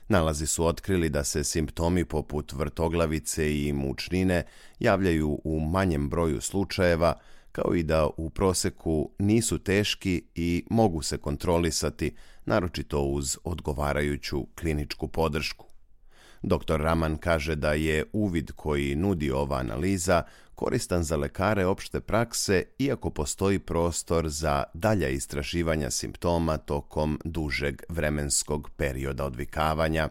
Nalazi su otkrili da se simptomi poput vrtoglavice i mučnine javljaju u manjem broju slučajeva, kao i da u proseku nisu teški i mogu se kontrolisati, naročito uz odgovarajuću kliničku podršku. Dr. Raman kaže da je uvid koji nudi ova analiza koristan za lekare opšte prakse, iako postoji prostor za dalja istraživanja simptoma tokom dužeg vremenskog perioda odvikavanja.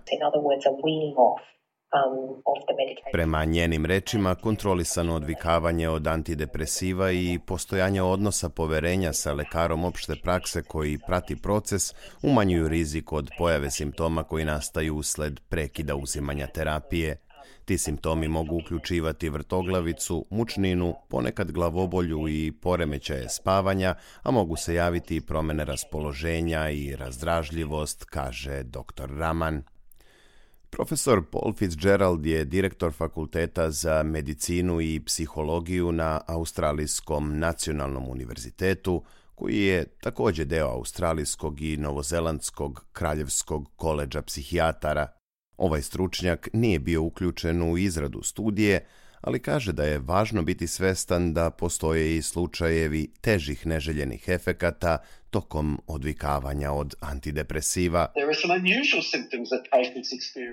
Prema njenim rečima, kontrolisano odvikavanje od antidepresiva i postojanje odnosa poverenja sa lekarom opšte prakse koji prati proces umanjuju rizik od pojave simptoma koji nastaju usled prekida uzimanja terapije. Ti simptomi mogu uključivati vrtoglavicu, mučninu, ponekad glavobolju i poremećaje spavanja, a mogu se javiti i promene raspoloženja i razdražljivost, kaže dr. Raman. Profesor Paul Fitzgerald je direktor Fakulteta za medicinu i psihologiju na Australijskom nacionalnom univerzitetu, koji je također deo Australijskog i Novozelandskog kraljevskog koledža psihijatara. Ovaj stručnjak nije bio uključen u izradu studije, ali kaže da je važno biti svestan da postoje i slučajevi težih neželjenih efekata tokom odvikavanja od antidepresiva.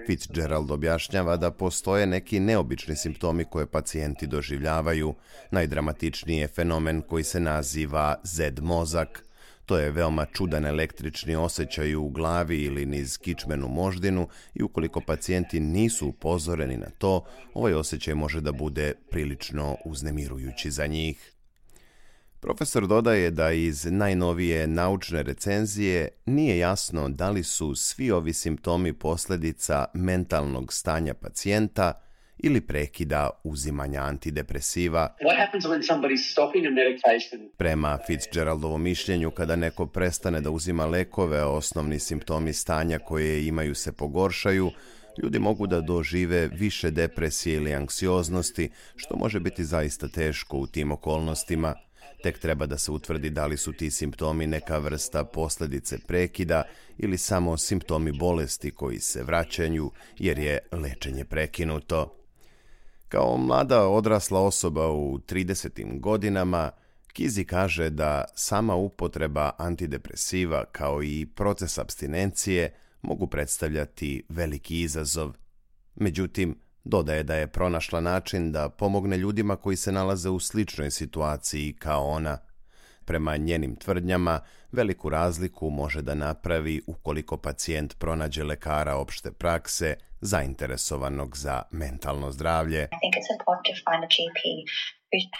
Fitzgerald objašnjava da postoje neki neobični simptomi koje pacijenti doživljavaju. Najdramatičniji je fenomen koji se naziva Z mozak. To je veoma čudan električni osjećaj u glavi ili niz kičmenu moždinu i ukoliko pacijenti nisu upozoreni na to, ovaj osjećaj može da bude prilično uznemirujući za njih. Profesor dodaje da iz najnovije naučne recenzije nije jasno da li su svi ovi simptomi posljedica mentalnog stanja pacijenta ili prekida uzimanja antidepresiva. Prema Fitzgeraldovom mišljenju, kada neko prestane da uzima lekove, a osnovni simptomi stanja koje imaju se pogoršaju, ljudi mogu da dožive više depresije ili anksioznosti, što može biti zaista teško u tim okolnostima. Tek treba da se utvrdi da li su ti simptomi neka vrsta posljedice prekida ili samo simptomi bolesti koji se vraćaju jer je lečenje prekinuto. Kao mlada odrasla osoba u 30. godinama, Kizi kaže da sama upotreba antidepresiva kao i proces apstinencije mogu predstavljati veliki izazov. Međutim, dodaje da je pronašla način da pomogne ljudima koji se nalaze u sličnoj situaciji kao ona. Prema njenim tvrdnjama, veliku razliku može da napravi ukoliko pacijent pronađe lekara opšte prakse zainteresovanog za mentalno zdravlje.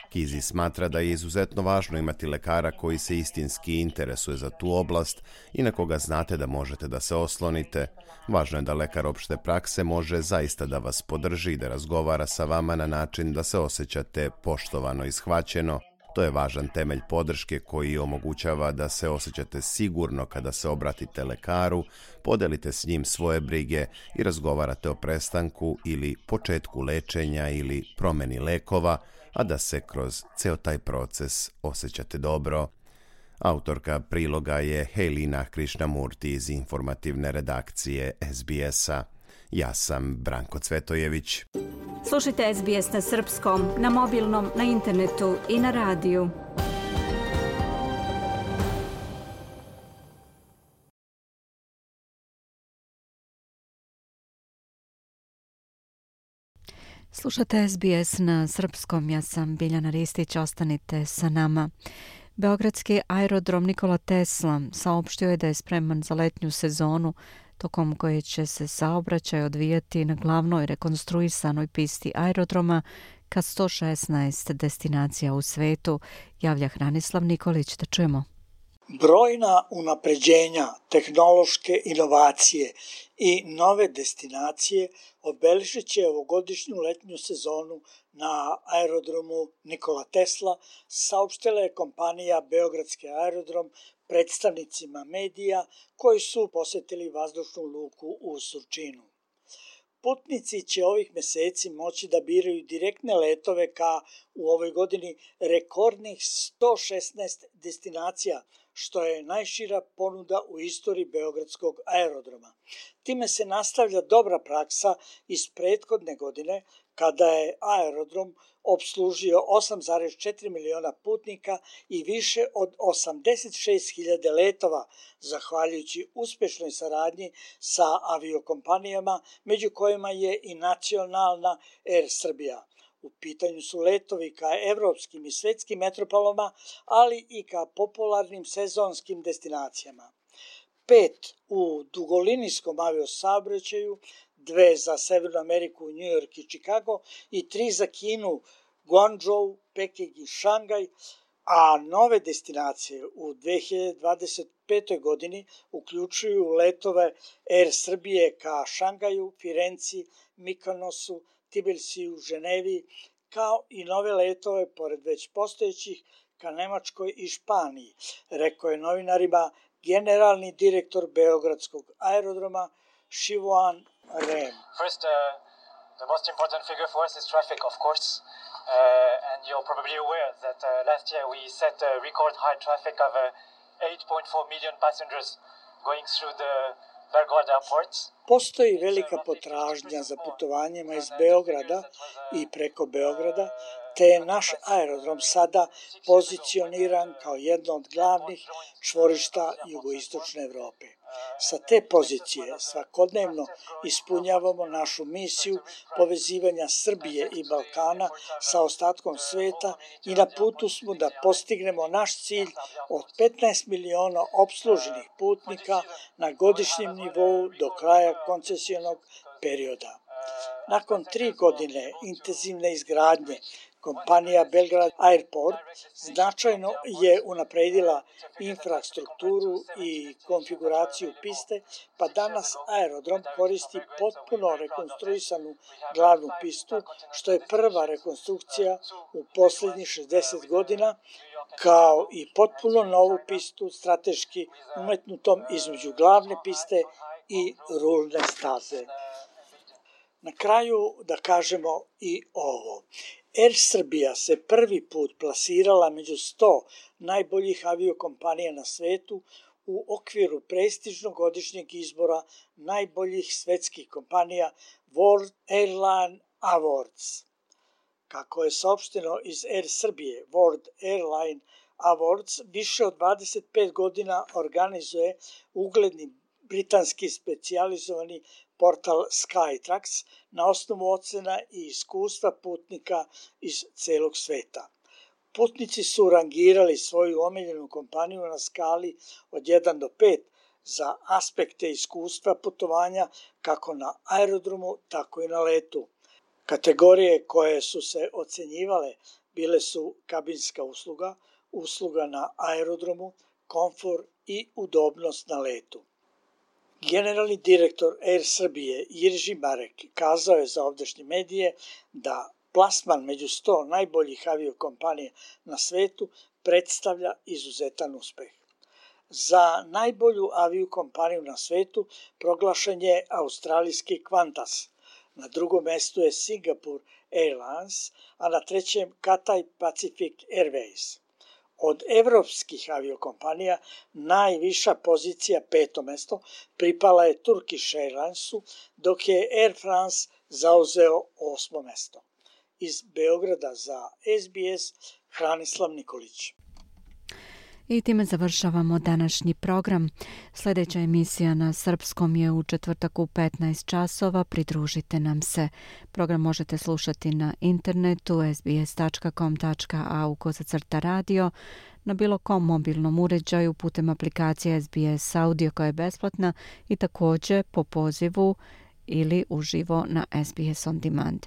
Kizi smatra da je izuzetno važno imati lekara koji se istinski interesuje za tu oblast i na koga znate da možete da se oslonite. Važno je da lekar opšte prakse može zaista da vas podrži i da razgovara sa vama na način da se osjećate poštovano i shvaćeno. To je važan temelj podrške koji omogućava da se osjećate sigurno kada se obratite lekaru, podelite s njim svoje brige i razgovarate o prestanku ili početku lečenja ili promeni lekova, a da se kroz ceo taj proces osjećate dobro. Autorka priloga je Helina Krishnamurti iz informativne redakcije SBS-a. Ja sam Branko Cvetojević. Slušajte SBS na srpskom, na mobilnom, na internetu i na radiju. Slušate SBS na srpskom, ja sam Biljana Ristić, ostanite sa nama. Beogradski aerodrom Nikola Tesla saopštio je da je spreman za letnju sezonu, tokom koje će se saobraćaj odvijati na glavnoj rekonstruisanoj pisti aerodroma ka 116 destinacija u svetu, javlja Hranislav Nikolić. Da čujemo. Brojna unapređenja, tehnološke inovacije i nove destinacije obeležit će ovogodišnju letnju sezonu na aerodromu Nikola Tesla, saopštila je kompanija Beogradski aerodrom predstavnicima medija koji su posetili vazdušnu luku u Surčinu. Putnici će ovih meseci moći da biraju direktne letove ka u ovoj godini rekordnih 116 destinacija, što je najšira ponuda u istoriji Beogradskog aerodroma. Time se nastavlja dobra praksa iz prethodne godine, kada je aerodrom opslužio 8,4 miliona putnika i više od 86.000 letova, zahvaljujući uspešnoj saradnji sa aviokompanijama, među kojima je i nacionalna Air Srbija. U pitanju su letovi ka evropskim i svetskim metropolama, ali i ka popularnim sezonskim destinacijama. 5 u dugolinijskom aviosaobraćaju, 2 za Severnu Ameriku, New York i Chicago i 3 za Kinu, Guangzhou, Peking i Šangaj, a nove destinacije u 2025. godini uključuju letove Air Srbije ka Šangaju, Firenci, Mikonosu, Tbilisiju, Ženevi, kao i nove letove, pored već postojećih, ka Nemačkoj i Španiji, rekao je novinarima generalni direktor Beogradskog aerodroma Šivoan Rem. First, the most important figure for us is traffic, of course. And you're probably aware that last year we set a record high traffic of 8.4 million passengers going through the Belgrade airports. Postoji velika potražnja za putovanjima iz Beograda i preko Beograda, te je naš aerodrom sada pozicioniran kao jedno od glavnih čvorišta jugoistočne Evrope. Sa te pozicije svakodnevno ispunjavamo našu misiju povezivanja Srbije i Balkana sa ostatkom sveta i na putu smo da postignemo naš cilj od 15 miliona opsluženih putnika na godišnjem nivou do kraja koncesionog perioda. Nakon 3 godine intenzivne izgradnje, kompanija Belgrade Airport značajno je unapredila infrastrukturu i konfiguraciju piste, pa danas aerodrom koristi potpuno rekonstruisanu glavnu pistu, što je prva rekonstrukcija u poslednjih 60 godina, kao i potpuno novu pistu strateški umetnutom između glavne piste i rulne staze. Na kraju da kažemo i ovo. Air Srbija se prvi put plasirala među 100 najboljih aviokompanija na svetu u okviru prestižnog godišnjeg izbora najboljih svetskih kompanija World Airline Awards. Kako je saopšteno iz Air Srbije, World Airline Awards više od 25 godina organizuje ugledni britanski specijalizovani portal Skytrax na osnovu ocena i iskustva putnika iz celog sveta. Putnici su rangirali svoju omiljenu kompaniju na skali od 1 do 5 za aspekte iskustva putovanja kako na aerodromu, tako i na letu. Kategorije koje su se ocenjivale bile su kabinska usluga, usluga na aerodromu, komfor i udobnost na letu. Generalni direktor Air Srbije Jirži Marek kazao je za ovdašnje medije da plasman među 100 najboljih aviokompanija na svetu predstavlja izuzetan uspeh. Za najbolju aviokompaniju na svetu proglašen je australijski Qantas, na drugom mestu je Singapore Airlines, a na trećem Cathay Pacific Airways. Od evropskih aviokompanija najviša pozicija, 5. mesto, pripala je Turkish Airlinesu, dok je Air France zauzeo 8. mesto. Iz Beograda za SBS, Hranislav Nikolić. I time završavamo današnji program. Sljedeća emisija na srpskom je u četvrtak u 15 časova. Pridružite nam se. Program možete slušati na internetu sbs.com.au/radio, na bilo kom mobilnom uređaju putem aplikacije SBS Audio koja je besplatna i također po pozivu ili uživo na SBS On Demand.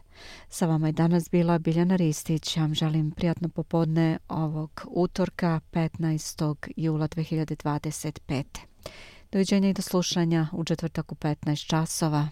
Sa vama je danas bila Biljana Ristić. Ja vam želim prijatno popodne ovog utorka 15. jula 2025. Doviđenja i do slušanja u četvrtak u 15 časova.